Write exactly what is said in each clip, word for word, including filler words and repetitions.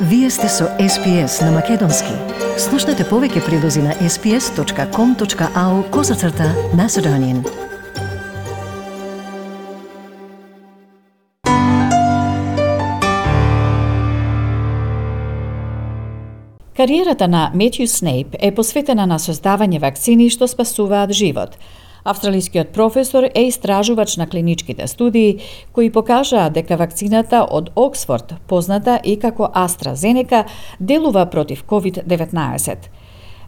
Вие сте со Ес Пи Ес на Македонски. Слушнете повеќе прилози на ес пи ес точка ком точка ау козацрта Macedonian. Кариерата на Метју Снейп е посветена на создавање вакцини што спасуваат живот. Австралискиот професор е истражувач на клиничките студии кои покажаа дека вакцината од Оксфорд, позната и како AstraZeneca, делува против ковид деветнаесет.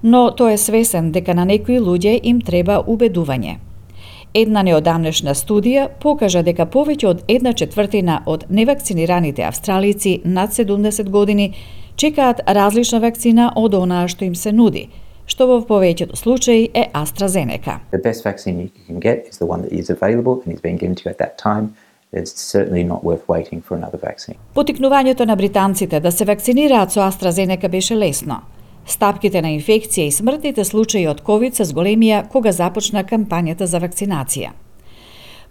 Но тој е свесен дека на некои луѓе им треба убедување. Една неодамнешна студија покажа дека повеќе од една четвртина од невакцинираните австралици над седумдесет години чекаат различна вакцина од онаа што им се нуди, што во повеќето случаи е AstraZeneca. The best vaccine you can get is the one that is available and is being given to you at that time. It's certainly not worth waiting for another vaccine. Потикнувањето на британците да се вакцинираат со AstraZeneca беше лесно. Стапките на инфекција и смртните случаи од ковид се зголемија кога започна кампањата за вакцинација.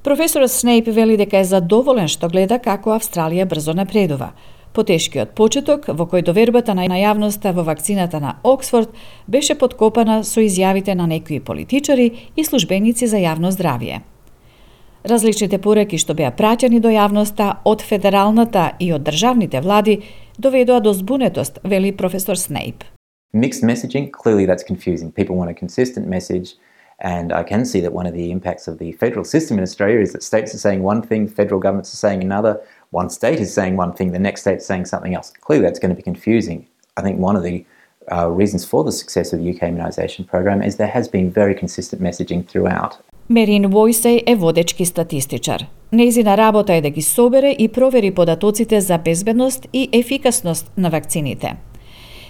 Професорот Снейп вели дека е задоволен што гледа како Австралија брзо напредува. Потешкиот почеток во кој довербата на јавноста во вакцината на Оксфорд беше подкопана со изјавите на некои политичари и службеници за јавно здравје. Различните пораки што беа праќани до јавноста од федералната и од државните влади доведоа до збунетост, вели професор Снейп. Mixed messaging, clearly that's confusing. People want a consistent message, and I can see that one of the impacts of the federal system in Australia is that states are saying one thing, federal governments are saying another. One state is saying one thing, the next state is saying something else. Clearly that's going to be confusing. I think one of the uh, reasons for the success of the U K immunisation program is there has been very consistent messaging throughout. Мерин Војсеј е водечки статистичар. Нејзина работа е да ги собере и провери податоците за безбедност и ефикасност на вакцините.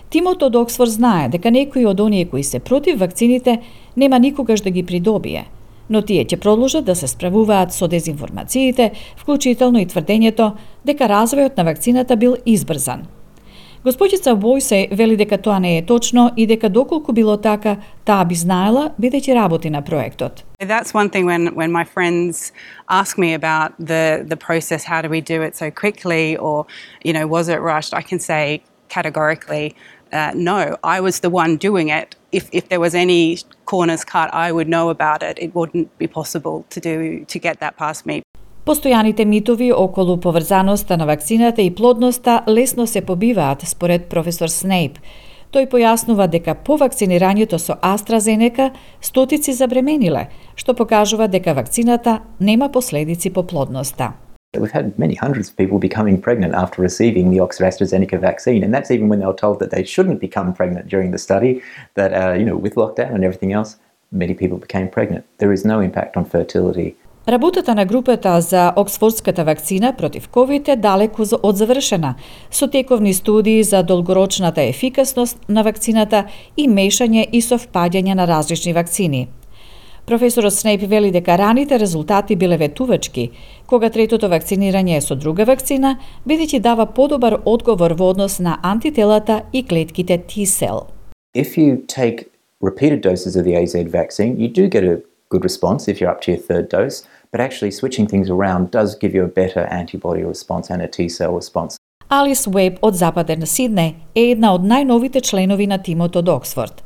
Тимот од Оксфорд знае дека некои од оние кои се против вакцините нема никогаш да ги придобие, но тие ќе продолжат да се справуваат со дезинформациите, вклучително и тврдењето дека развојот на вакцината бил избрзан. Госпоѓица Војсеј вели дека тоа не е точно и дека доколку било така, таа би знаела бидејќи работи на проектот. That's one thing when, when my friends ask me about the, the process, how do we do it so quickly, or, you know, was it rushed? I can say categorically, uh, no, I was the one doing it. If, if there was any corners cut, I would know about it. It wouldn't be possible to do to get that past me. Постојаните митови околу поврзаноста на вакцината и плодноста лесно се побиваат, според професор Снейп. Тој појаснува дека по вакцинирањето со AstraZeneca стотици забремениле, што покажува дека вакцината нема последици по плодноста. We've had many hundreds of people becoming pregnant after receiving the Oxford AstraZeneca vaccine, and that's even when they were told that they shouldn't become pregnant during the study, that, uh, you know, with lockdown and everything else, many people became pregnant. There is no impact on fertility. Работата на групата за Оксфордската вакцина против ковид е далеку од завршена, со тековни студии за долгорочната ефикасност на вакцината и мешање и совпаѓање на различни вакцини. Професорот Снейп вели дека раните резултати биле ветувачки, кога третото вакцинирање е со друга вакцина, бидејќи дава подобар одговор во однос на антителата и клетките T-cell. If you take repeated doses of the A Z vaccine, you do get a good response if you're up to your third dose, but actually switching things around does give you a better antibody response and a T-cell response. Алис Уеб од Западен Сиднеј е една од најновите членови на тимот од Оксфорд.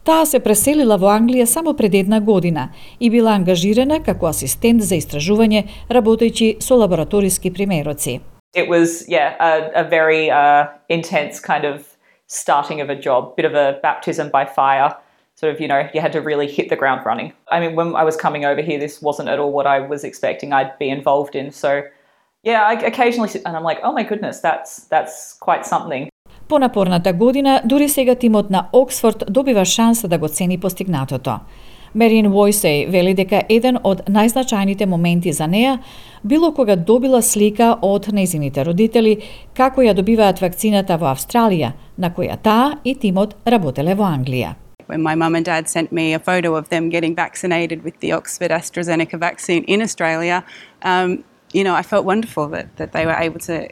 Таа се преселила во Англија само пред една година и била ангажирана како асистент за истражување, работејќи со лабораториски примероци. It was, yeah, a, a very uh, intense kind of starting of a job, bit of a baptism by fire. Sort of, you know, you had to really hit the ground running. I mean, when I was coming over here, this wasn't at all what I was expecting I'd be involved in. So, yeah, I occasionally sit and I'm like, oh my goodness, that's that's quite something. По напорната година, дури сега тимот на Оксфорд добива шанса да го цени постигнатото. Мерин Војсеј вели дека еден од најзначајните моменти за неа било кога добила слика од нејзините родители како ја добиваат вакцината во Австралија, на која таа и тимот работеле во Англија. When my mum and dad sent me a photo of them getting vaccinated with the Oxford AstraZeneca vaccine in Australia, um, you know, I felt wonderful that, that they were able to,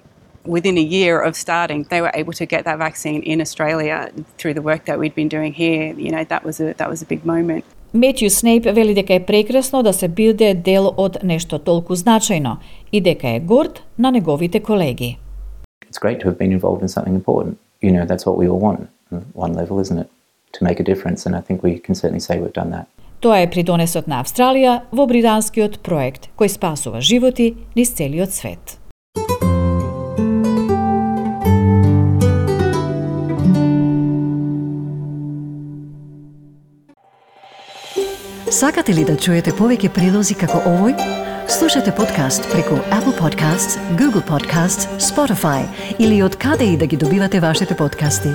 within a year of starting, they were able to get that vaccine in Australia through the work that we'd been doing here. You know, that was a, that was a big moment. Метју Снейп вели дека е прекрасно да се биде дел од нешто толку значајно и дека е горд на неговите колеги. it's great to have been involved in something important. You know, that's what we all want on one level, isn't it? To make a difference, and I think we can certainly say we've done that. Тоа е придонесот на Австралија во британскиот проект кој спасува животи низ целиот свет. Сакате ли да чуете повеќе прилози како овој? Слушате подкаст преку Apple Podcasts, Google Podcasts, Spotify или од каде и да ги добивате вашите подкасти.